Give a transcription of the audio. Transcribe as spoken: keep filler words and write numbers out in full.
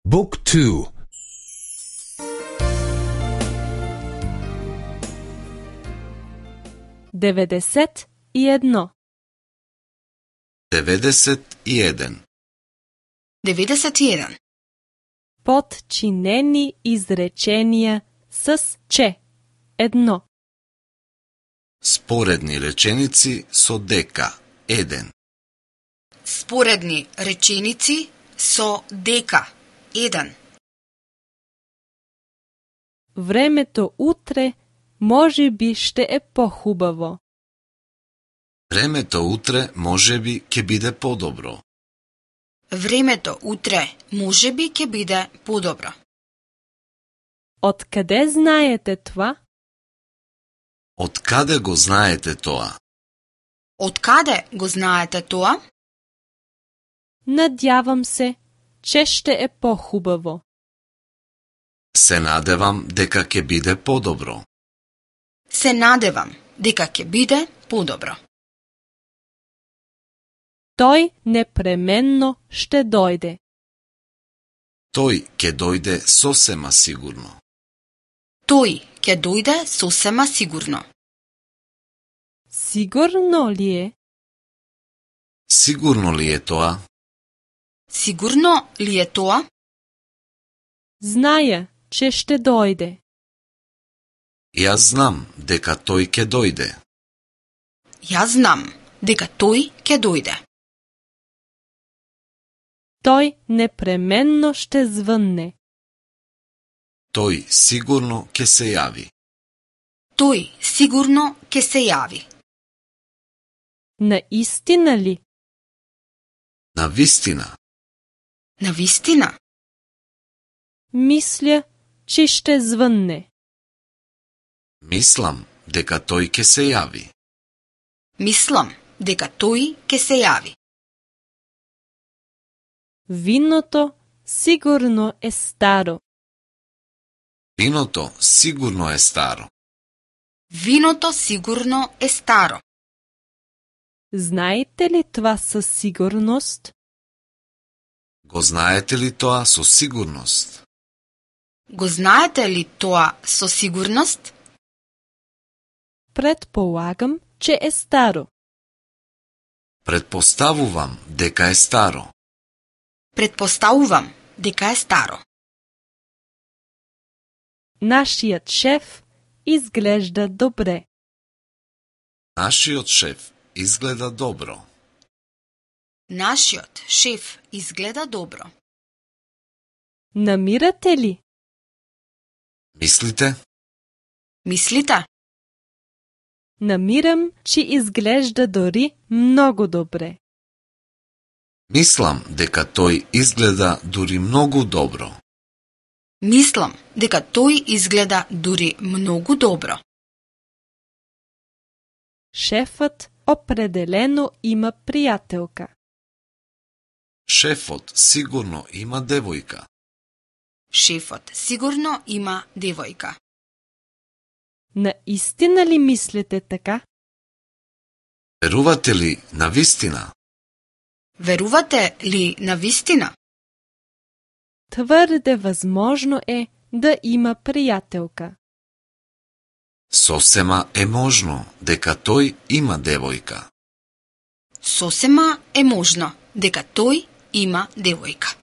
Book two. деветдесет и едно. деветдесет и еден. деветдесет и еден. Подчинени изреченија с че. Едно. Споредни реченици со дека. Еден. Споредни реченици со дека. Еден. Времето утре може би ще е похубаво. Времето утре можеби ќе биде подобро. Времето утре можеби ќе биде подобро. Откаде знаете това? Откаде го знаете тоа? Откаде го знаете тоа? Надявам се, че ще е похубаво. Се надевам дека ќе биде подобро. Се надевам дека ќе биде подобро. Тој непременно ще дојде. Тој ќе дојде сосема сигурно. Тој ќе дојде сосема сигурно. Сигурно ли е? Сигурно ли е тоа? Сигурно ли е тоа? Зная, че ще дојде. Јас знам дека тој ќе дојде. Јас знам дека тој ќе дојде. Тој непременно ще звънне. Тој сигурно ќе се јави. Тој сигурно ќе се јави. Наистина ли? Навистина. Навистина? Мисля, че ще звънне. Мислам дека тој ќе се јави. Мислам дека тој ќе се јави. Виното сигурно е старо. Виното сигурно е старо. Виното сигурно е старо. Знаете ли това със сигурност? Го знаете ли тоа со сигурност? Го знаете ли тоа со сигурност? Предполагам, че е старо. Предпоставувам дека е старо. Предпоставувам дека е старо. Нашият шеф изглежда добре. Нашиот шеф изгледа добро. Нашиот шеф изгледа добро. Намирате ли? Мислите? Мислите? Намирам, че изглежда дори много добре. Мислам дека тој изгледа дури многу добро. Мислам дека тој изгледа дури многу добро. Шефът определено има приятелка. Шефот сигурно има девојка. Шефот сигурно има девојка. Наистина ли мислите така? Верувате ли на вистина? Верувате ли на вистина? Твърде възможно е да има приятелка. Сосема е можно дека тој има девојка. Сосема е можно дека тој има девојка.